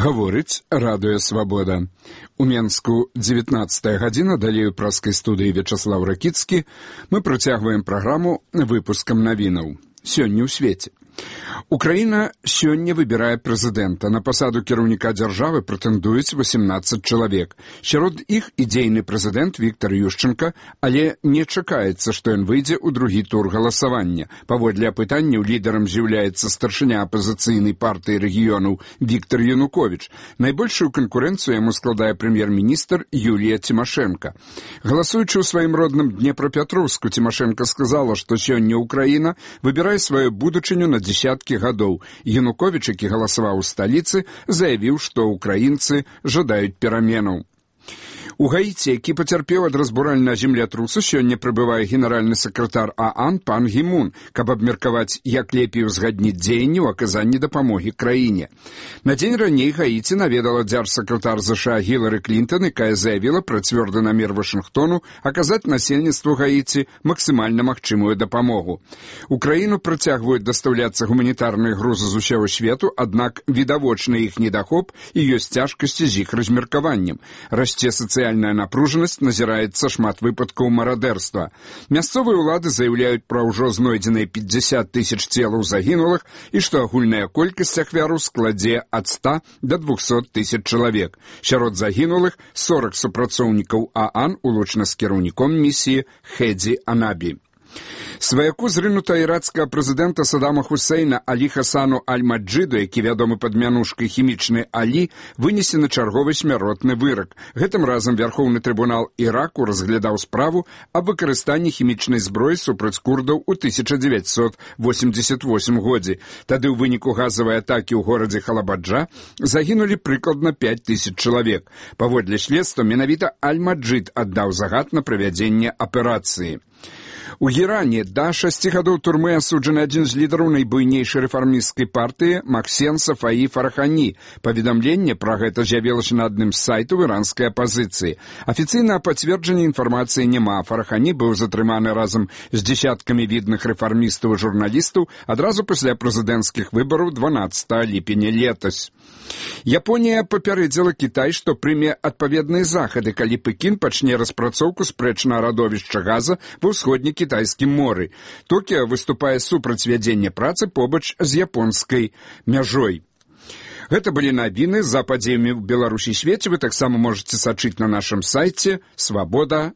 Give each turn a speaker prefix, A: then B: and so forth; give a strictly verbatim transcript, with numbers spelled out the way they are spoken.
A: Гаворыць радыё «Свабода». У Менску дзевятнаццатая гадзіна, далей у праскай студыі Вячаслаў Ракіцкі мы працягваем праграму выпускам навінаў. Сёння ў свеце. Украіна сёння выбірае прэзідэнта. На пасаду кіраўніка дзяржавы прэтэндуюць восемнадцаць чалавек. Сярод іх і дзейны прэзідэнт Віктор Ющенка, але не чакаецца, што ён выйдзе ў другі тур галасавання. Паводле апытанняў лідарам з'яўляецца старшыня апазіцыйнай партыі рэгіёнаў Віктор Януковіч. Найбольшую канкурэнцыю яму складае прэм'ер-міністр Юлія Тимошенко. Галасуючы ў сваім родным Днепрапетровску, Тимошенко сказала, што сёння Украіна выбірае сваю будучыню на десяткі гадоў. Януковіч, які галасаваў у сталіцы, заявіў, што украінцы жадаюць пераменаў. У Гаіці, які пацярпеў ад разбуральнага землятрусу, сёння прыбывае генеральны сакратар ААН пан Гі Мун, каб абмеркаваць, як лепей узгадніць дзеянні ў аказанні дапамогі краіне. На дзень раней Гаіці наведала дзяржсакратар ЗША Гілары Клінтон, якая заявіла пра цвёрды намер Вашынгтону аказаць насельніцтву Гаіці максімальна магчымую дапамогу. У краіну працягваюць дастаўляцца гуманітарныя грузы з усяго свету, аднак відавочны іх недахоп і ёсць цяжкасці з іх размеркаваннем. Расце сацыяльная Сацыяльная напружанасць, назіраецца шмат выпадкаў марадэрства. Мясцовыя ўлады заяўляюць пра ўжо знойдзеныя пятьдесят тысяч целаў загінулых і што агульная колькасць ахвяраў складзе ад ста да двухсот тысяч чалавек. Сярод загінулых сорок супрацоўнікаў ААН, улучна з кіраўніком місіі Хедзі Анабі. Сваяку зрынута ірацкага прэзідэнта Саддама Хусейна Алі Хасану Аль-Маджиду, які вядомы пад мянушкай хімічны Алі, вынесены чарговы смяротны вырак. Гэтым разам Вярхоўны трыбунал Іраку разглядаў справу аб выкарыстанні хімічнай зброі супраць курдаў у тысяча дзевяцьсот восемьдесят восьмым годзе. Тады ў выніку газавай атакі ў горадзе Халабаджа загінулі прыкладна пяць тысяч чалавек. Паводле следства, менавіта Аль-Маджид аддаў загад на правядзенне аперацыі. У Іране да шасці гадоў турмы асуджаны адзін з лідараў найбуйнейшай рэфармісцкай партыі Максен Сафаі Фарахані. Паведамленне пра гэта з'явілася на адным з сайтаў іранскай апазіцыі. Афіцыйнага пацверджання інфармацыі няма. Фарахані быў затрыманы разам з дзесяткамі відных рэфармістаў і журналістаў адразу пасля прэзідэнцкіх выбараў дванаццатага ліпеня летась. Японія папярэдзіла Кітай, што прыме адпаведныя захады, калі Пекін пачне распрацоўку спрэчнага радовішча газа ва ўсходнім кітайскім моры. Токіа выступае супраць вядзення працы побач з японскай мяжой. Гэта былі навіны за падзеямі ў Беларусі і свеце. Вы таксама можаце сачыць на нашым сайце свабода